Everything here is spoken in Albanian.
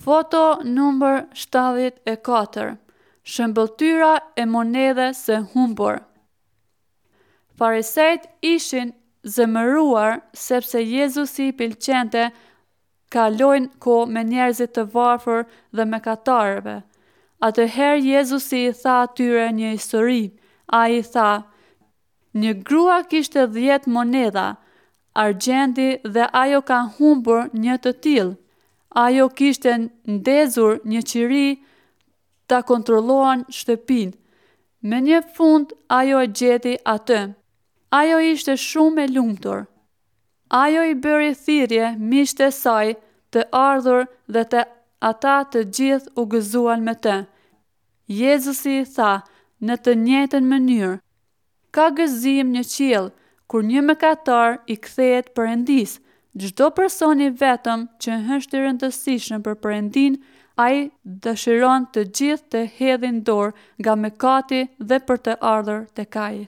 Foto numër 74 Shëmbëlltyra e monedhës së humbur Farisejtë ishin zemëruar sepse Jezusi i pëlqente kalojnë kohë me njerëzit të varfër dhe mëkatarëve. Atëherë Jezusi i tha atyre një histori. Ai i tha, Një grua kishte 10 monedha argjendi dhe ajo ka humbur një të tillë. Ajo kishte ndezur një qiri ta kontrollon shtëpinë. Më në fund ajo e gjeti atë. Ajo ishte shumë e lumtur. Ajo i bëri thirrje miqtë e saj të ardhur dhe të ata të gjithë u gëzuan me të. Jezusi i tha në të njëjtën mënyrë, Ka gëzim në qiell kur një mëkatar i kthehet Perëndisë. Çdo person i vetëm që është i rëndësishëm për Perëndinë, ai dëshiron të gjithë të hedhin dorë nga mëkati dhe për të ardhur tek ai.